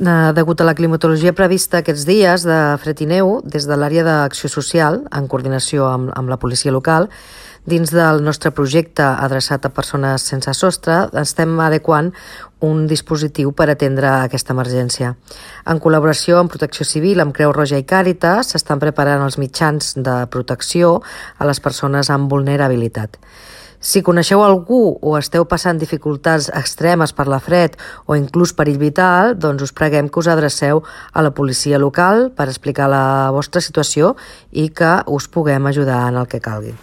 Degut a la climatologia prevista aquests dies de fred i neu, des de l'àrea d'acció social, en coordinació amb la policia local, dins del nostre projecte adreçat a persones sense sostre, estem adequant un dispositiu per atendre aquesta emergència. En col·laboració amb Protecció Civil, amb Creu Roja i Càritas, s'estan preparant els mitjans de protecció a les persones amb vulnerabilitat. Si coneixeu algú o esteu passant dificultats extremes per la fred o inclús perill vital, doncs us preguem que us adreceu a la policia local per explicar la vostra situació i que us puguem ajudar en el que calgui.